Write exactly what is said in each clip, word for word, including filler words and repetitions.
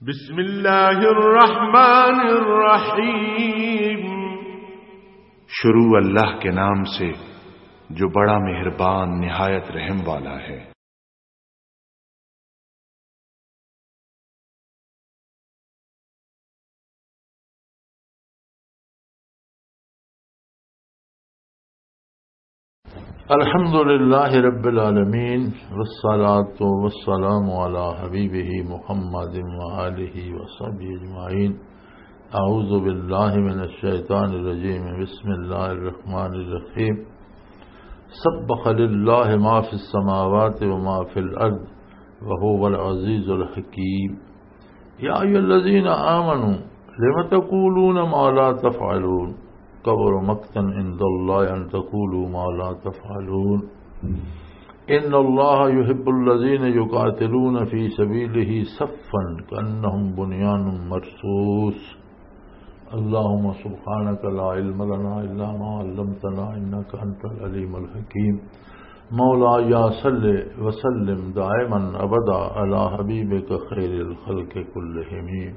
بسم اللہ الرحمن الرحیم۔ شروع اللہ کے نام سے، جو بڑا مہربان، نہایت رحم والا ہے۔ الحمد لله رب العالمين، والصلاة والسلام على حبيبه محمد وآله وصحبه أجمعين. أعوذ بالله من الشيطان الرجيم. بسم الله الرحمن الرحيم. سبح لله ما في السماوات وما في الأرض وهو العزيز الحكيم. يا أيها الذين آمنوا لم تقولون ما لا تفعلون. كبر مقتا عند الله أن تقولوا ما لا تفعلون. إن الله يحب الذين يقاتلون في سبيله صفا كأنهم بنيان مرصوص. اللهم سبحانك لا علم لنا إلا ما علمتنا إنك أنت العليم الحكيم. مولاي صل وسلم دائما أبدا على حبيبك خير الخلق كلهم.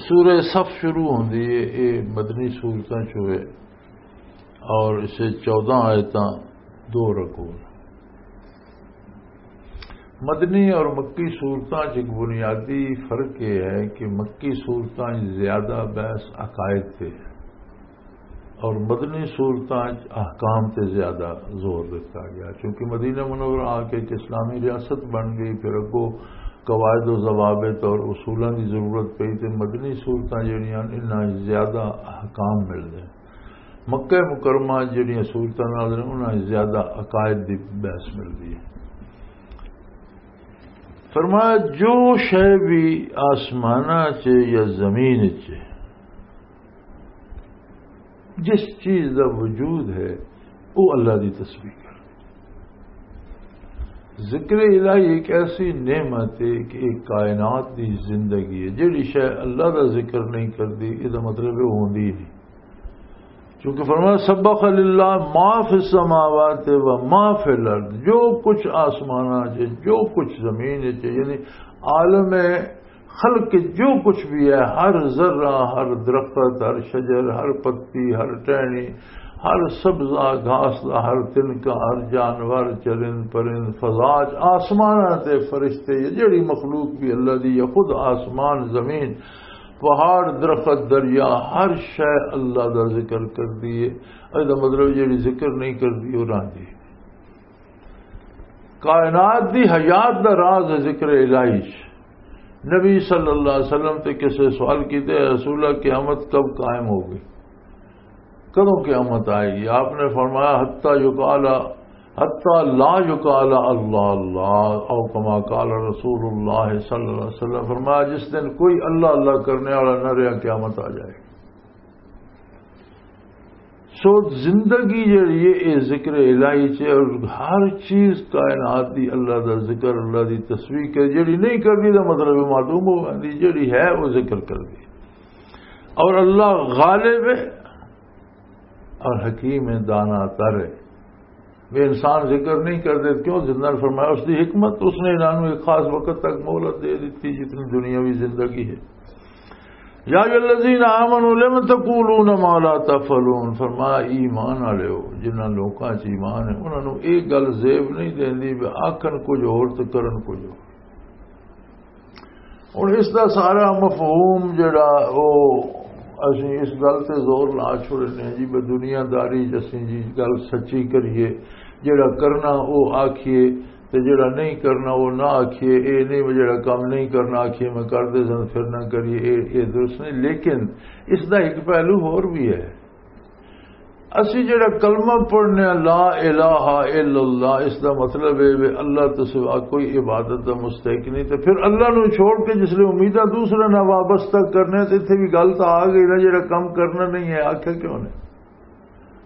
سورہ صف شروع ہوندی ہے، یہ مدنی سورتاں چوں ہے اور اسے چودہ آیتاں، دو رکوع۔ مدنی اور مکی سورتاں چ ایک بنیادی فرق یہ ہے کہ مکی سورتاں چ زیادہ بحث عقائد تے ہے اور مدنی سورتاں چ احکام تے زیادہ زور دتا گیا، کیونکہ مدینہ منورہ آ کے ایک اسلامی ریاست بن گئی، پھر اگوں قواعد و ضوابط اور اصولاں دی ضرورت پئی، تے مدنی سورتاں جڑیاں انہاں چ زیادہ احکام ملدے۔ مکہ مکرمہ جڑیاں سورتاں نازل، انہاں زیادہ عقائد دی بحث ملدی ہے۔ فرمایا، جو شے بھی آسماناں چ یا زمین چ، جس چیز دا وجود ہے، وہ اللہ دی تسبیح کر۔ ذکر الہی ایک ایسی نعمت ہے کہ ایک کائنات دی زندگی ہے۔ جڑی شے اللہ دا ذکر نہیں کردی، یہ دا مطلب ہے وہ ہوندی ہی نہیں۔ چونکہ فرمایا، سبح للہ ما فی السماوات و ما فی الارض، جو کچھ آسماناں چ، جو کچھ زمین چ، یعنی عالم خلق جو کچھ بھی ہے، ہر ذرہ، ہر درخت، ہر شجر، ہر پتی، ہر ٹہنی، ہر سبزہ گھاس دا، ہر تنکا، ہر جانور، چرند پرند، فضا چ، آسماناں تے فرشتے، یہ جڑی مخلوق بھی اللہ دی، یا خود آسمان، زمین، پہاڑ، درخت، دریا، ہر شے اللہ دا ذکر کردی ہے۔ اے دا مطلب جڑی ذکر نہیں کردی، وہ راندی۔ کائنات دی حیات دا راز ہے ذکر الہی چ۔ نبی صلی اللہ علیہ وسلم تے کسے سوال کیتے، "اے رسول اللہ، قیامت کب قائم ہوگی؟ کدوں قیامت آئے گی؟" آپ نے فرمایا، "حتی یقال، حتی لا یقال اللہ اللہ، او کما قال رسول اللہ صلی اللہ علیہ وسلم۔" فرمایا، جس دن کوئی اللہ اللہ کرنے والا نہ رہا، قیامت آ جائے گی۔ سو زندگی جڑی ہے، یہ ذکر الہی چ ہے، اور ہر چیز کائنات دی اللہ دا ذکر، اللہ دی تسبیح کر، جڑی نہیں کرنی، دا مطلب ہے معدوم ہو گئی، جڑی ہے، وہ ذکر کر دی۔ اور اللہ غالب ہے اور حکیم ہے، دانا تر ہے۔ وہ انسان ذکر نہیں کردے، کیوں؟ زندہ نے فرمایا، اس دی حکمت، اس نے انہاں نوں ایک خاص وقت تک مہلت دے دتی، جتنی دنیاوی زندگی ہے۔ یا ایھا الذین آمنوا لم تقولون ما لا تفعلون، فرمایا، ایمان والےو، جنہاں لوکاں چ ایمان ہے، انہاں نوں ایک گل زیب نہیں دیندی، وہ آکھن کچھ ہور تے کرن کچھ ہور۔ ہن اس دا سارا مفہوم جڑا، او اسی اس گل تے زور لا چھوڑنے ہیں جی، بے دنیا داری چ اسی جی گل سچی کریے، جڑا کرنا او آکھیے، تے جڑا نہیں کرنا او نہ آکھیے۔ اے نہیں، میں جڑا کم نہیں کرنا آکھیے میں کر دے سن، پھر نہ کریے، اے، اے درست نہیں۔ لیکن اس دا ایک پہلو ہور بھی ہے۔ اسی جڑا کلمہ پڑھنے آں، لا الہ الا اللہ، اس دا مطلب ہے وے اللہ تو سوا کوئی عبادت دا مستحق نہیں، تے پھر اللہ نو چھوڑ کے جس لے امیداں دوسرے نال وابستہ کرنے، تے اتھے بھی گل تاں آ گئی نا، جڑا کم کرنا نہیں ہے، آکھیا کیوں نے؟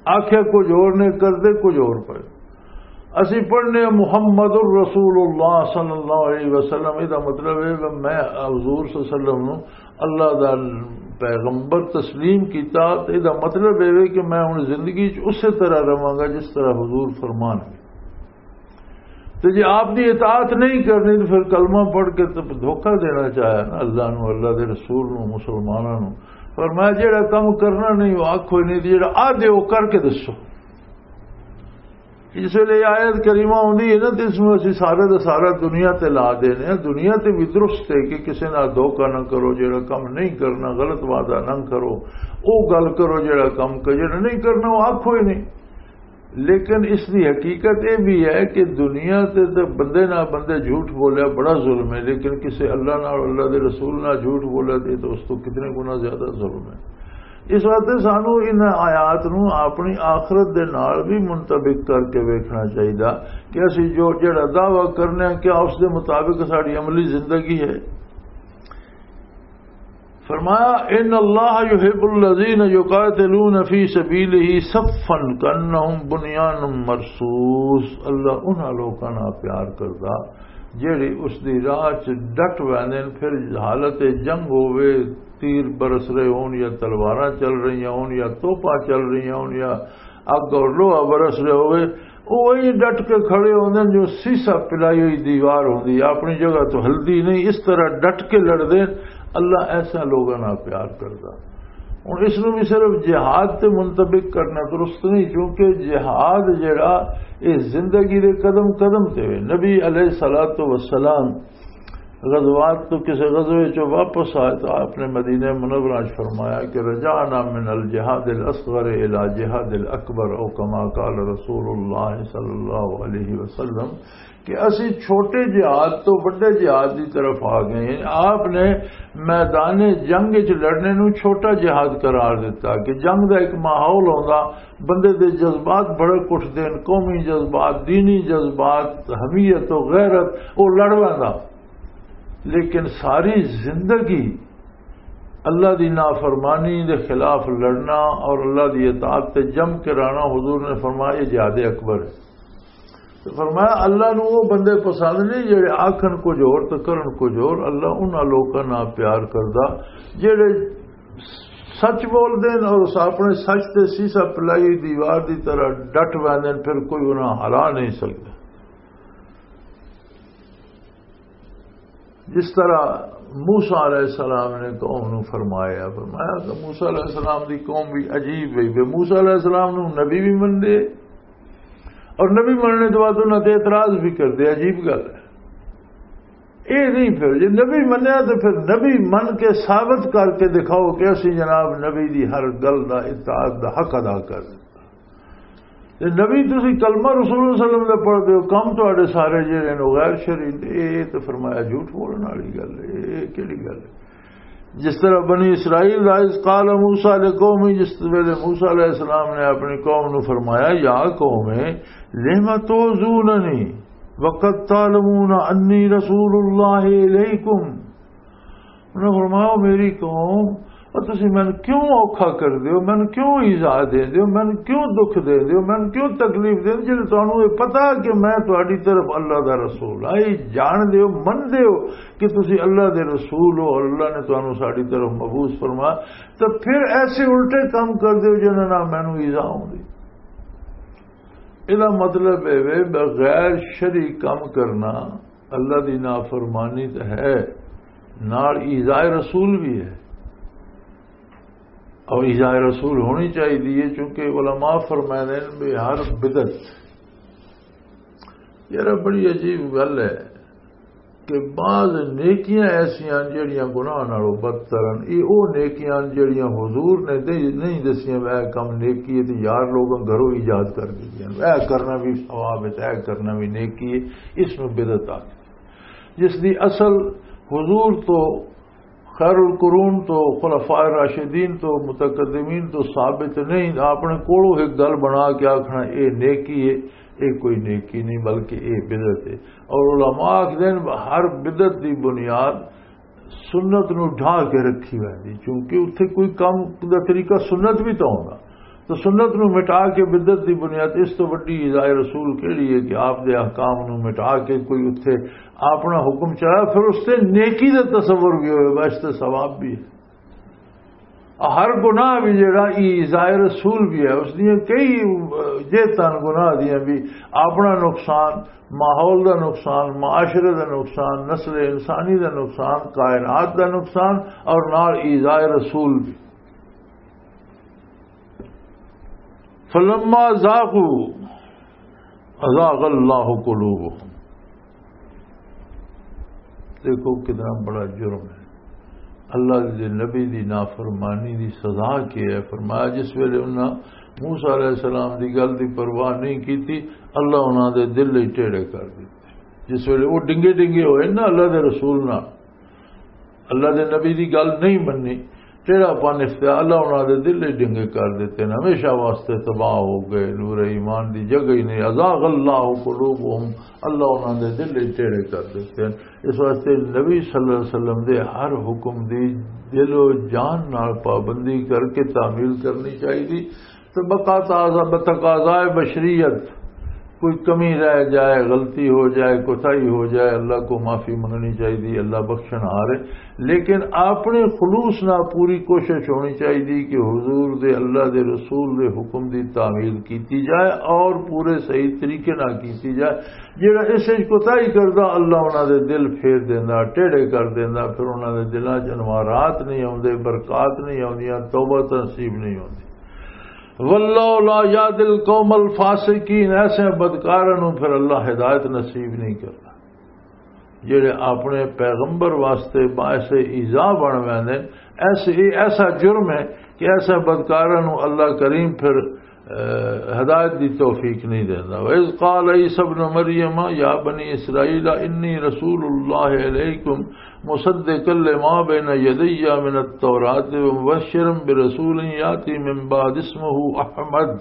آکھیا کچھ ہور نے، کردے کچھ ہور پئے۔ اسی پڑھنے آں محمد الرسول اللہ صلی اللہ علیہ وسلم، اے دا مطلب ہے کہ میں حضور صلی اللہ علیہ وسلم نو اللہ دا پیغمبر تسلیم کیتا، تے اے دا مطلب اے وے کہ میں ہن زندگی چ اسے طرح رہواں گا جس طرح حضور فرمان ہے۔ تے جے آپ دی اطاعت نہیں کرنی، تے پھر کلمہ پڑھ کے تے دھوکہ دینا چاہیا نا اللہ نو، اللہ دے رسول نو، مسلماناں نو۔ فرمایا، جڑا کم کرنا نہیں، وہ آکھو ہی نہیں، تے جڑا آ دے، وہ کر کے دسو۔ اس ویلے آیت کریمہ ہوندی ہے نا، تے اس نوں اسی سارے دا سارا دنیا تے لا دینے ہیں۔ دنیا تے بھی درست ہے کہ کسے نال دھوکہ نہ کرو، جڑا کم نہیں کرنا، غلط وعدہ نہ کرو، او گل کرو، جڑا کم ک-، جڑا نہیں کرنا، وہ آکھو ہی نہیں۔ لیکن اس دی حقیقت یہ بھی ہے کہ دنیا تے تے بندے نال بندے جھوٹ بولیا بڑا ظلم ہے، لیکن کسے اللہ نال، اللہ دے رسول نال جھوٹ بولیا تے، تے اس تو کتنے گنا زیادہ ظلم ہے۔ اس واسطے سانو ان آیات نو اپنی آخرت دے نال بھی منطبق کر کے ویکھنا چاہیدا کہ اسی جو جڑا دعویٰ کرنے ہیں، کیا اس دے مطابق ساڈی عملی زندگی ہے؟ فرمایا، ان اللہ یحب الذین یقاتلون فی سبیلہ صفا کانہم بنیان مرصوص۔ اللہ انہاں لوکاں نال پیار کردا جڑے اس دی راہ چ ڈٹ ویندے نے، پھر حالت جنگ ہووے، تیر برس رہے ہون یا تلواراں چل رہی ہون یا توپاں چل رہی ہون یا اگ اور لوہا برس رہے ہوئے، وہ وہی ڈٹ کے کھڑے ہوندے نے جو سیسا پلائی ہوئی دیوار ہوندی ہے، اپنی جگہ تو ہلدی نہیں، اس طرح ڈٹ کے لڑدے نے۔ اللہ ایسا لوگاں نال پیار کردا۔ ہن اس نوں بھی صرف جہاد تے منطبق کرنا درست نہیں، کیونکہ جہاد جڑا، یہ زندگی دے قدم قدم تے ہوئے۔ نبی علیہ الصلوۃ والسلام غزوات تو کسی غزوے چوں واپس آئے تو آپ نے مدینہ منورہ چ فرمایا کہ رجعنا من الجہاد الاصغر الی جہاد الاکبر، او کما قال رسول اللہ صلی اللہ علیہ وسلم، کہ اسی چھوٹے جہاد تو بڑے جہاد دی طرف آ گئے ہیں۔ آپ نے میدان جنگ وچ لڑنے نوں چھوٹا جہاد قرار دیتا کہ جنگ دا ایک ماحول ہوندا، بندے دے جذبات بڑے اٹھدے نے، قومی جذبات، دینی جذبات، حمیت و غیرت، وہ لڑ ویندا۔ لیکن ساری زندگی اللہ دی نافرمانی دے خلاف لڑنا اور اللہ دی اطاعت تے جم کے رہنا، حضور نے فرمایا، یہ جہاد اکبر ہے۔ تو فرمایا، اللہ نو وہ بندے پسند نہیں جڑے آکھن کچھ اور تو کرن کچھ اور۔ اللہ انہاں لوکاں نال پیار کردا جڑے سچ بول دین اور اس اپنے سچ تے سیسا پلائی دیوار دی طرح ڈٹ ویندے نے، پھر کوئی انہاں ہلا نہیں سکدا۔ جس طرح موسیٰ علیہ السلام نے قوم نو فرمایا، فرمایا کہ موسیٰ علیہ السلام دی قوم بھی عجیب ہوئی۔ موسیٰ علیہ السلام نو نبی بھی من دے اور نبی مننے تو بعد انہاں تے اعتراض بھی کر دے، عجیب گل ہے۔ اے نہیں، پھر جے نبی منیا تو پھر نبی من کے ثابت کر کے دکھاؤ کہ اسی جناب نبی دی ہر گل دا اطاعت دا حق ادا کر دے۔ تے نبی، تسی کلمہ رسول اللہ صلی اللہ علیہ وسلم دا پڑھ دیو، کم تہاڈے سارے جڑے نے غیر شرعی نے۔ اے تے فرمایا جھوٹ بولن والی گل ہے، اے کیڑی گل ہے؟ جس طرح بنی اسرائیل دا، اذ قال موسیٰ لقومہ، جس ویلے موسیٰ علیہ السلام نے اپنی قوم نو فرمایا، یا قوم، لم تؤذوننی وقد تعلمون انی رسول اللہ الیکم۔ انہاں فرمایا، "او میری قوم، او تسی مینوں کیوں اوکھا کر دیو، مینوں کیوں ایذا دے دیو، مینوں کیوں دکھ دے دیو، مینوں کیوں تکلیف دے دیو، جے تانوں یہ پتہ کہ میں تہاڈی طرف اللہ دا رسول ہاں، یہ جان دیو، من دیو کہ تسی اللہ دے رسول ہو اور اللہ نے تانوں ساڈی طرف مبعوث فرمایا، تو پھر ایسے الٹے کام کر دیو جنہاں نال مینوں ایذا ہوندی۔" ادا مطلب اے وے، بغیر شرعی کم کرنا اللہ دی نافرمانی تے ہے، نال ایذائے رسول بھی ہے۔ اور ایذائے رسول ہونی چاہیے، چونکہ علماء فرمائے نے بھی ہر بدعت، یار، بڑی عجیب گل ہے کہ بعض نیکیاں ایسیاں جڑیاں گناہ نالوں بدتر ہیں۔ یہ وہ نیکیاں جڑیاں حضور نے دے-، نہیں دسیاں، اے کم نیکی ہے، تے یار لوگاں گھروں ایجاد کر دیتی ہیں، اے کرنا بھی ثواب ہے، اے کرنا بھی نیکی ہے، اس میں بدعت آ گئی۔ جس دی اصل حضور تو، خیر القرون تو، خلفاء راشدین تو، متقدمین تو ثابت نہیں۔ اپنے کولوں ایک گل بنا کے آکھنا، اے نیکی ہے، اے کوئی نیکی نہیں، بلکہ اے بدعت ہے۔ اور علماء آکھدے نے، ہر بدعت دی بنیاد سنت نو ڈھا کے رکھی ویندی، کیونکہ اتھے کوئی کم دا طریقہ سنت بھی تو ہوندا۔ تو سنت نو مٹا کے بدعت دی بنیاد، اس تو وڈی ایذائے رسول کیڑی ہے کہ آپ دے احکام نو مٹا کے کوئی اتھے اپنا حکم چلایا، پھر اس تے نیکی دا تصور بھی ہوئے، بہشت ثواب بھی ہے۔ ہر گناہ بھی جڑا ایذائے رسول بھی ہے، اس دیاں کئی، اہ، جہتاں گناہ دیاں بھی، اپنا نقصان، ماحول دا نقصان، معاشرے دا نقصان، نسل انسانی دا نقصان، کائنات دا نقصان، اور نال ایذائے رسول بھی۔ فلما ذاقوا ازاغ اللہ قلوبہم۔ دیکھو کتنا بڑا جرم ہے، اللہ دے نبی دی نافرمانی دی سزا کیا ہے؟ فرمایا، جس ویلے انہاں موسیٰ علیہ السلام دی گل دی پرواہ نہیں کیتی، اللہ انہاں دے دل ہی ٹیڑے کر دتے۔ جس ویلے وہ ڈنگے ڈنگے ہوئے نا اللہ دے رسول نال، اللہ دے نبی دی گل نہیں مننی، ٹیڑا پن اختیار، اللہ انہاں دے دل ہی ڈنگے کر دتے ہیں، ہمیشہ واسطے تباہ ہو گئے۔ نور ایمان دی جگہ ہی نہیں۔ ازاغ اللہ قلوبہم، اللہ انہاں دے دل ہی ٹیڑے کر دتے ہیں۔ اس واسطے نبی صلی اللہ علیہ وسلم دے ہر حکم دی دل و جان نال پابندی کر کے تعمیل کرنی چاہیے۔ تو بقا تازہ، بتقاضائے بشریت، کوئی کمی رہ جائے، غلطی ہو جائے، کوتاہی ہو جائے، اللہ کو معافی منگنی چاہیے، اللہ بخشن ہار ہے۔ لیکن اپنے خلوص نال پوری کوشش ہونی چاہیے کہ حضور دے، اللہ دے رسول دے حکم دی تعمیل کیتی جائے اور پورے صحیح طریقے نال کیتی جائے۔ جڑا اس وچ کوتاہی کردا، اللہ انہاں دے دل پھیر دیندا، ٹیڑے کر دیندا، پھر انہاں دے دلاں چ انوارات نہیں آوندے، برکات نہیں آوندیاں، توبہ نصیب نہیں ہوندی۔ واللہ لا یہدی القوم الفاسقین، ایسے بدکاراں نوں پھر اللہ ہدایت نصیب نہیں کردا۔ جڑے اپنے پیغمبر واسطے باعث ایذا بن ویندے، ایسے، یہ ایسا جرم ہے کہ ایسے بدکاراں نوں اللہ کریم پھر، اہ، ہدایت دی توفیق نہیں دیندا۔ وَإِذْ قَالَ عِيسَى ابْنُ مَرْيَمَ يَا بَنِي إِسْرَائِيلَ إِنِّي رَسُولُ اللَّهِ إِلَيْكُمْ مُصَدِّقًا لِمَا بَيْنَ يَدَيَّ مِنَ التَّوْرَاةِ وَمُبَشِّرًا بِرَسُولٍ يَأْتِي مِن بَعْدِي اسْمُهُ أَحْمَدُ۔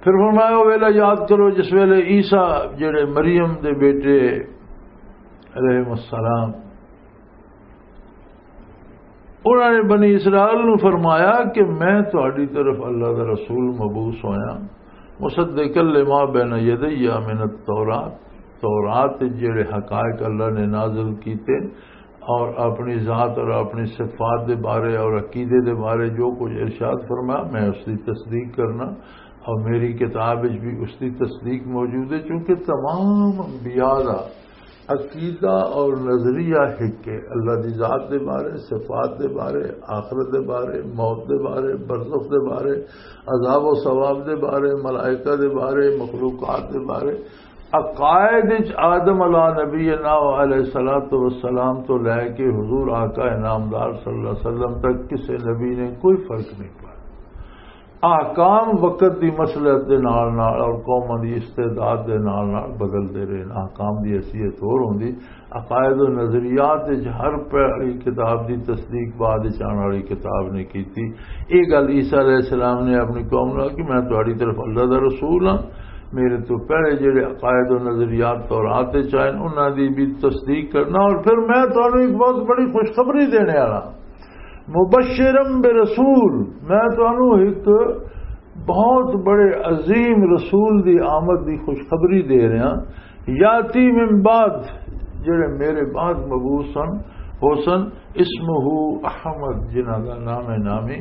پھر فرمایا، وہ ویلا یاد کرو جس ویلے عیسیٰ، جڑے مریم دے بیٹے علیہ السلام، انہوں نے بنی اسرائیل نو فرمایا کہ میں تہاڈی طرف اللہ دا رسول مبعوث ہویا، مصدقا لما بین یدی من التورات، تورات وچ جڑے حقائق اللہ نے نازل کیتے اور اپنی ذات اور اپنی صفات دے بارے اور عقیدے دے بارے جو کچھ ارشاد فرمایا، میں اس دی تصدیق کرنا، اور میری کتاب وچ بھی اس دی تصدیق موجود ہے، چونکہ تمام انبیاء دا عقیدہ اور نظریہ ایک ہے، اللہ دی ذات دے بارے، صفات دے بارے، آخرت دے بارے، موت دے بارے، برزخ دے بارے، عذاب و ثواب دے بارے، ملائکہ دے بارے، مخلوقات دے بارے۔ عقائد وچ آدم علیہ نبینا و علیہ الصلوۃ والسلام تو لے کے حضور آقا انعامدار صلی اللہ علیہ وسلم تک کسے نبی نے کوئی فرق نہیں پایا۔ احکام وقت دی مسلحت دے نال نال اور قوماں دی استعداد دے نال نال بدلدے رہے۔ احکام دی حیثیت ہور ہوندی۔ عقائد و نظریات وچ ہر پہلی کتاب دی تصدیق بعد وچ آن والی کتاب نے کیتی۔ یہ گل عیسیٰ علیہ السلام نے اپنی قوم نال کہ میں تہاڈی طرف اللہ دا رسول ہاں، میرے تو پہلے جڑے عقائد و نظریات تورات وچ آئے انہاں دی بھی تصدیق کرنا، اور پھر میں تہانوں ایک بہت بڑی خوشخبری دینے والا، مبشرم برسول، میں تانوں ایک بہت بڑے عظیم رسول دی آمد دی خوشخبری دے رہا۔ یاتی من بعد، جڑے میرے بعد مبعوث سن، ہو سن، اسمہ احمد، جنہاں دا نام نامی،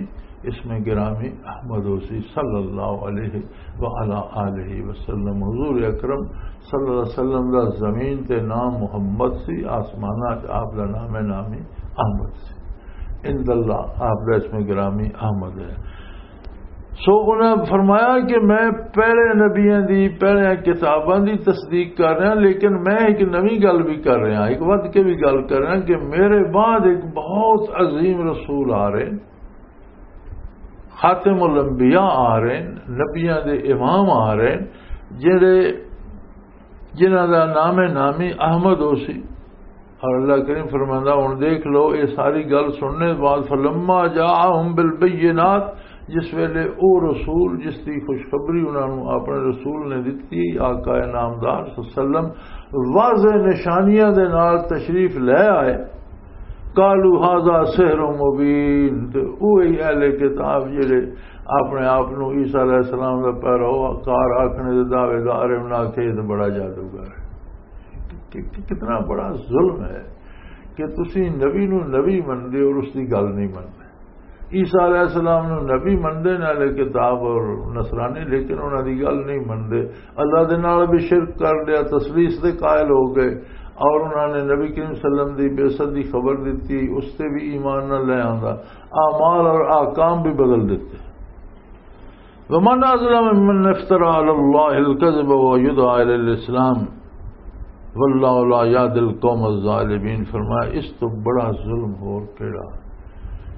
اسم گرامی احمد ہو سی، صلی اللہ علیہ وعلی آلہ وسلم۔ حضور اکرم صلی اللہ علیہ وسلم دا زمین تے نام محمد سی، آسمانات آپ دا نام نامی احمد سی۔ عند اللہ آپ دا اسم گرامی احمد ہے۔ سو انہاں فرمایا کہ میں پہلے نبیاں دی، پہلے کتاباں دی تصدیق کر رہا، لیکن میں ایک نویں گل بھی کر رہا، ایک ود کے بھی گل کر رہا کہ میرے بعد ایک بہت عظیم رسول آ رہے، خاتم الانبیاء آ رہے، نبیاں دے امام آ رہے، جڑے، جنہاں دا نام نامی احمد ہو سی۔ اور اللہ کریم فرماندا، ہن دیکھ لو، یہ ساری گل سننے بعد، فلما جاءہم بالبینات، جس ویلے او رسول جس دی خوشخبری انہاں نوں اپنے رسول نے دتی، آقا نامدار صلی اللہ علیہ وسلم، واضح نشانیاں دے نال تشریف لے آئے، قالوا هذا سحر مبین، تے اوہی اہل کتاب جڑے اپنے آپ نوں عیسیٰ علیہ السلام دا پیروکار آکھنے دے دعوے دار ہیں، انہاں آکھیا یہ تے بڑا جادوگر ہے۔ کہ، کہ کتنا بڑا ظلم ہے کہ تسی نبی نوں نبی مندے اور اس دی گل نہیں مندے۔ عیسیٰ علیہ السلام نو نبی مندے نے، اہل کتاب اور نصرانی، لیکن انہاں دی گل نہیں مندے۔ اللہ دے نال بھی شرک کر لیا، تثلیث دے قائل ہو گئے، اور انہاں نے نبی کریم صلی اللہ علیہ وسلم دی بعثت دی خبر دتی، اس تے بھی ایمان نہ لے آندا، اعمال اور احکام بھی بدل دیتے۔ ومن اظلم ممن افترى على الله الكذب ويدعى الى الاسلام واللہ لا یہدی القوم الظالمین۔ فرمایا، اس تو بڑا ظلم ہور کیڑا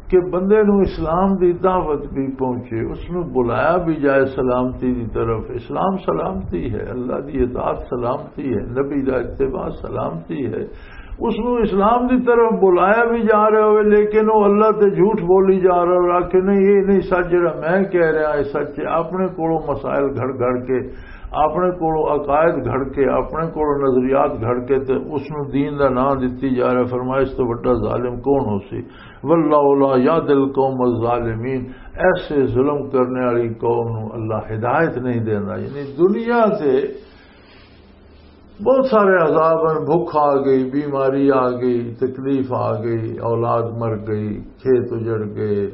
کہ بندے نو اسلام دی دعوت بھی پہنچے، اس نو بلایا بھی جائے سلامتی دی طرف۔ اسلام سلامتی ہے، اللہ دی اطاعت سلامتی ہے، نبی دا اتباع سلامتی ہے۔ اس نو اسلام دی طرف بلایا بھی جا رہا ہوئے، لیکن وہ اللہ تے جھوٹ بولی جا رہا اور آکھے، نہیں، یہ نہیں سچ، جڑا میں کہہ رہا ہے سچ ہے۔ اپنے کولوں مسائل گھڑ گھڑ کے، اپنے کولوں عقائد گھڑ کے، اپنے کولوں نظریات گھڑ کے تے اس نو دین دا نام دتی جا رہا۔ فرمایا، اس تو بڑا ظالم کون ہو سی؟ واللہ لا یہدی القوم الظالمین۔ ایسے ظلم کرنے والی قوم نو اللہ ہدایت نہیں دینا۔ یعنی دنیا سے بہت سارے عذاب ہیں، بھوک آ گئی، بیماری آ گئی، تکلیف آ گئی، اولاد مر گئی، کھیت اجڑ گئے،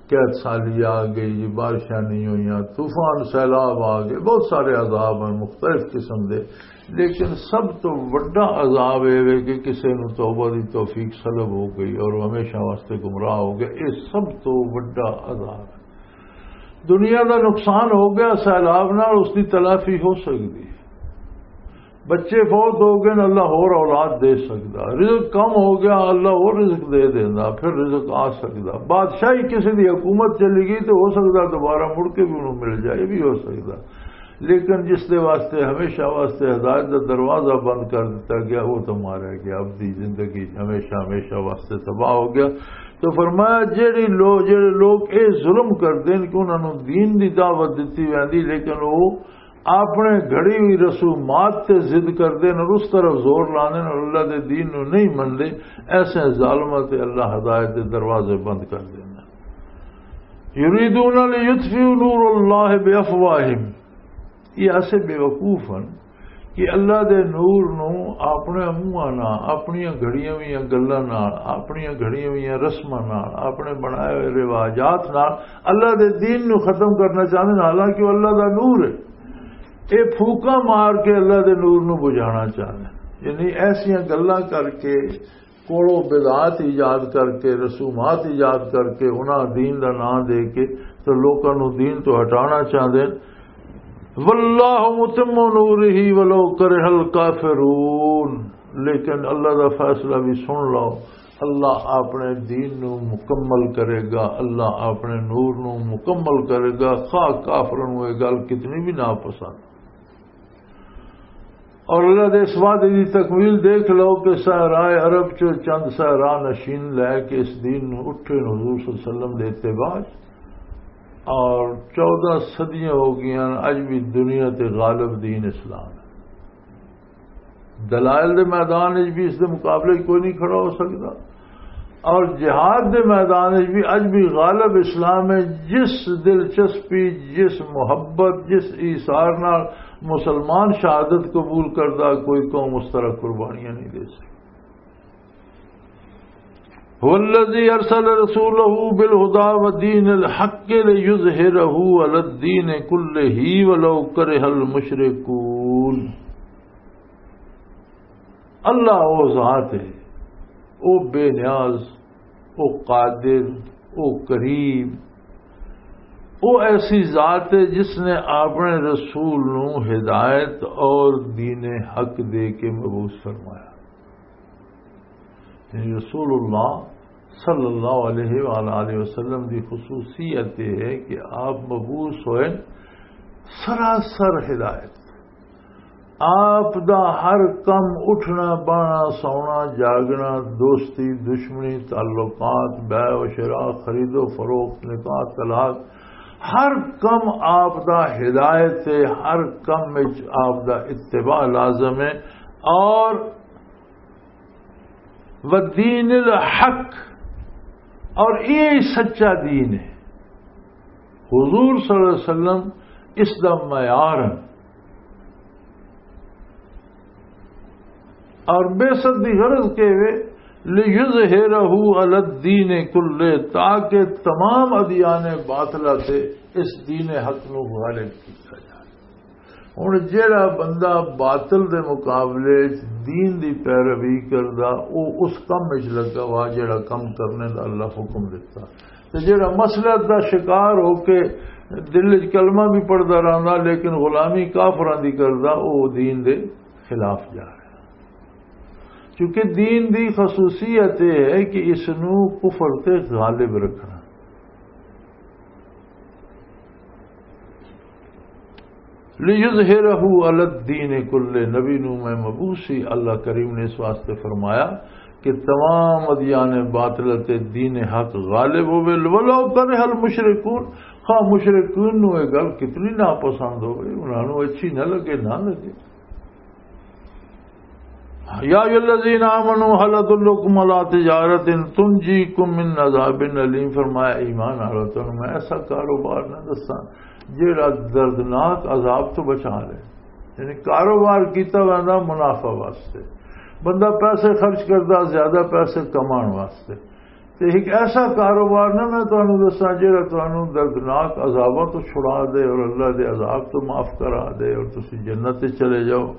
قحط سالی آ گئی، بارشاں نہیں ہوئیاں، طوفان سیلاب آ گئے، بہت سارے عذاب ہیں مختلف قسم دے۔ لیکن سب تو وڈا عذاب یہ ہے کہ کسی نو توبہ دی توفیق سلب ہو گئی اور وہ ہمیشہ واسطے گمراہ ہو گیا۔ یہ سب تو وڈا عذاب ہے۔ دنیا دا نقصان ہو گیا سیلاب نال، اس دی تلافی ہو سکدی ہے۔ بچے فوت ہو گئے نے، اللہ ہور اولاد دے سکدا۔ رزق کم ہو گیا، اللہ ہور رزق دے دیندا، پھر رزق آ سکدا۔ بادشاہی کسی دی حکومت چلی گئی تو ہو سکدا دوبارہ مڑ کے بھی انہوں مل جائے، یہ بھی ہو سکدا۔ لیکن جس دے واسطے ہمیشہ واسطے ہدایت دا دروازہ بند کر دتا گیا، وہ تو مارا گیا، اب دی زندگی ہمیشہ ہمیشہ واسطے تباہ ہو گیا۔ تو فرمایا، جڑی لوگ، جڑے لوگ اے ظلم کردے نے کہ انہاں نوں دین دی دعوت دتی ویندی، لیکن وہ اپنے گھڑی ہوئی رسومات تے ضد کردے نے اور اس طرف زور لاندے نے اور اللہ دے دین نوں نہیں مندے، ایسے ظالماں تے اللہ ہدایت دے دروازے بند کر دیندا۔ یریدون لیطفئوا نور اللہ بافواہہم، یہ ایسے بے وقوف ہیں کہ اللہ دے نور نوں اپنے منہاں نال، اپنیاں گھڑیاں ہوئیاں گلاں نال، اپنیاں گھڑیاں ہوئیاں رسماں نال، اپنے بنائے ہوئے رواجات نال اللہ دے دین نوں ختم کرنا چاہندے نے، حالانکہ وہ اللہ دا نور ہے۔ یہ پھوکاں مار کے اللہ دے نور نوں بجھانا چاہندے نے۔ یعنی ایسیاں گلاں کر کے، کوڑو بدعات ایجاد کر کے، رسومات ایجاد کر کے، انہاں دین دا نام دے کے تے لوکاں نوں دین تو ہٹانا چاہندے نے۔ واللہ متم نورہ ولو کرہ الکافرون۔ لیکن اللہ دا فیصلہ بھی سن لو، اللہ اپنے دین نو مکمل کرے گا، اللہ اپنے نور نو مکمل کرے گا، خواہ کافراں نوں یہ گل کتنی بھی ناپسند۔ اور اللہ دے اس وعدے دی تکمیل دیکھ لو کہ صحرائے عرب چو چند صحرا نشین لے کے اس دین نو اٹھے نے حضور صلی اللہ علیہ وسلم دے اتباع چ۔ اور چودہ صدیاں ہو گئیاں، اج بھی دنیا تے غالب دین اسلام ہے۔ دلائل دے میدان وچ بھی اس دے مقابلے وچ کوئی نہیں کھڑا ہو سکدا۔ اور جہاد دے میدان وچ بھی اج بھی غالب اسلام ہے۔ جس دلچسپی، جس محبت، جس ایثار نال مسلمان شہادت قبول کردا، کوئی قوم اس طرح قربانیاں نہیں دے سکتی۔ هو الذي أرسل رسوله بالهدى ودين الحق ليظهره على الدين كله ولو كره المشركون۔ اللہ او ذات ہے، او بے نیاز، او قادر، او کریم، او ایسی ذات ہے جس نے اپنے رسول نو ہدایت اور دین حق دے کے مبعوث فرمایا۔ یعنی رسول اللہ صلی اللہ علیہ وآلہ وسلم دی خصوصیت یہ ہے کہ آپ مبعوث ہوئے سراسر ہدایت۔ آپ دا ہر کم، اٹھنا، بانا، سونا، جاگنا، دوستی، دشمنی، تعلقات، بیع و شراء، خرید و فروخت، نکاح، طلاق، ہر کم آپ دا ہدایت ہے، ہر کم وچ آپ دا اتباع لازم ہے۔ اور والدین الحق، اور یہ سچا دین ہے۔ حضور صلی اللہ علیہ وسلم اس دا معیار ہے۔ اور بعثت دی غرض کے وے لِيُظْهِرَهُ عَلَى الدِّينِ كُلِّهِ، تاکہ تمام ادیان باطلہ تے اس دین حق نو غالب کیتا جائے۔ ہن جیڑا بندہ باطل دے مقابلے وچ دین دی پیروی کردا، او اس کم وچ لگا وا جیڑا کم کرنے دا اللہ حکم دتا۔ تے جیڑا مسلط دا شکار ہو کے دل وچ کلمہ بھی پڑھدا رہندا، لیکن غلامی کافراں دی کردا، او دین دے خلاف جا رہا۔ کیونکہ دین دی خصوصیت یہ ہے کہ اس نو کفر تے غالب رکھنا۔ لِيُظْهِرَهُ عَلَى الدِّينِ كُلِّهِ، نبی نو میں مبعوث سی، اللہ کریم نے اس واسطے فرمایا کہ تمام ادیان باطل تے دین حق غالب ہوئے، وَلَوْ كَرِهَ الْمُشْرِكُونَ، خواہ مشرکین نو یہ گل کتنی ناپسند ہوئے، انہاں نو اچھی نہ لگے، نہ لگے۔ يَا أَيُّهَا الَّذِينَ آمَنُوا هَلْ أَدُلُّكُمْ عَلَى تِجَارَةٍ تُنْجِيكُم مِّنْ عَذَابٍ أَلِيمٍ، فرمایا ایمان والو، تانوں میں ایسا کاروبار نہ دساں جیڑا دردناک عذاب تو بچا لے۔ یعنی کاروبار کیتا ویندا منافع واسطے، بندہ پیسے خرچ کردا زیادہ پیسے کماؤن واسطے۔ تے ایک ایسا کاروبار نہ میں تانوں دساں جیڑا تانوں دردناک عذاباں تو چھڑا دے اور اللہ دے عذاب تو معاف کرا دے اور تسی جنت تے چلے جاؤ۔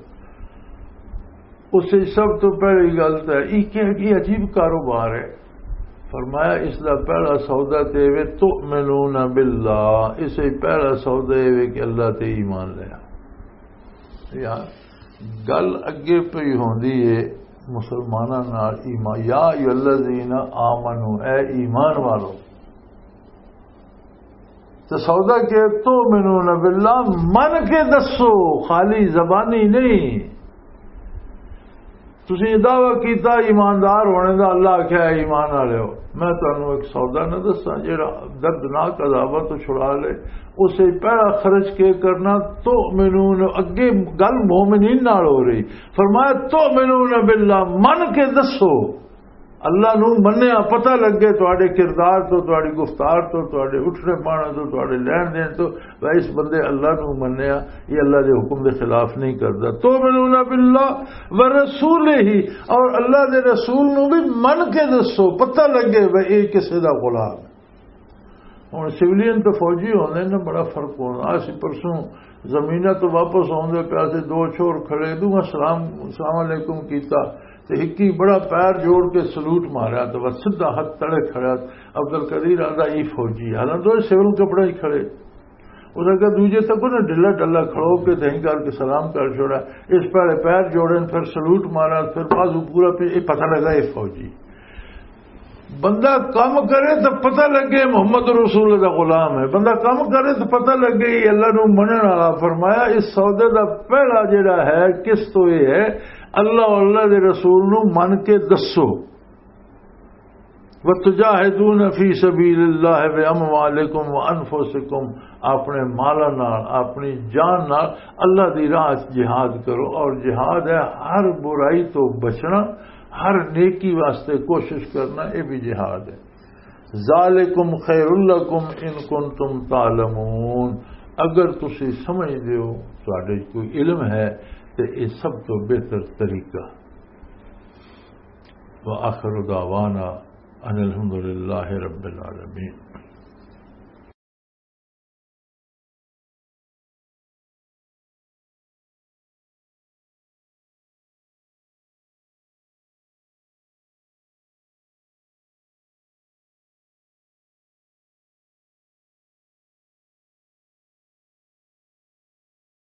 اس وچ سب تو پہلی گل تے یہ کہ یہ عجیب کاروبار ہے۔ فرمایا اس دا پہلا سودا تے وے تؤمنون باللہ، اس وچ پہلا سودا یہ وے کہ اللہ تے ایمان لیا۔ یار، گل اگے پئی ہوندی ہے مسلماناں نال ایمان، یا ایھا الذین آمنو، اے ایمان والو۔ تے سودا کہ تؤمنون باللہ، من کے دسو، خالی زبانی نہیں۔ تسی یہ دعویٰ کیتا ایماندار ہونے دا، اللہ آکھیا، "اے ایمان والےو، میں تانوں ایک سودا نہ دساں جڑا دردناک عذاباں تو چھڑا لے؟" اسے پہلا خرچ کے کرنا، تؤمنون، اگے گل مومنین نال ہو رہی۔ فرمایا، "تؤمنون باللہ"، من کے دسو، اللہ نو منیا، پتہ لگے تواڈے کردار تو، تواڈی گفتار تو، تواڈے اٹھنے پانے تو، تواڈے لین دین تو، بھائی، اس بندے اللہ نو منیا، یہ اللہ دے حکم دے خلاف نہیں کردا۔ تؤمنون باللہ ورسولہ، اور اللہ دے رسول نو بھی من کے دسو، پتہ لگے بھائی یہ کسے دا غلام ہے۔ ہن سویلین تے فوجی ہوندے نے، بڑا فرق ہوندا۔ اسی پرسوں زمیناں تو واپس آندے پیا تے دو چھوڑ کھڑے، دوواں سلام، السلام علیکم کیتا، تے ہکی بڑا پیر جوڑ کے سلوٹ ماریا، تے بس سدھا ہتھ تڑے کھڑا۔ عبدالقدیر آندا، "ای فوجی"، حالانکہ دوئے سول کپڑے ہی کھڑے۔ اس اگے دوجے تک نہ ڈھلا ڈھلا کھڑو کے دہیں کر کے سلام کر چھوڑا۔ اس پہلے پیر جوڑے، پھر سلوٹ مارا، پھر بازو پورا پی-، یہ پتہ لگا یہ فوجی۔ بندہ کم کرے تو پتہ لگے محمد رسول دا غلام ہے، بندہ کم کرے تو پتہ لگے یہ اللہ نو منن والا۔ فرمایا اس سودے دا پہلا جڑا ہے قسط تو یہ ہے، اللہ اور اللہ دے رسول نو من کے دسو۔ وتجاہدون فی سبیل اللہ باموالکم وانفسکم، اپنے مالاں نال، اپنی جان نال اللہ دی راہ وچ جہاد کرو۔ اور جہاد ہے ہر برائی تو بچنا، ہر نیکی واسطے کوشش کرنا، یہ بھی جہاد ہے۔ ذالکم خیر لکم ان کنتم تعلمون، اگر تسی سمجھ دیو، تواڈے کوئی علم ہے، تے یہ سب تو بہتر طریقہ۔ وآخر دعوانا ان الحمد للہ رب العالمین۔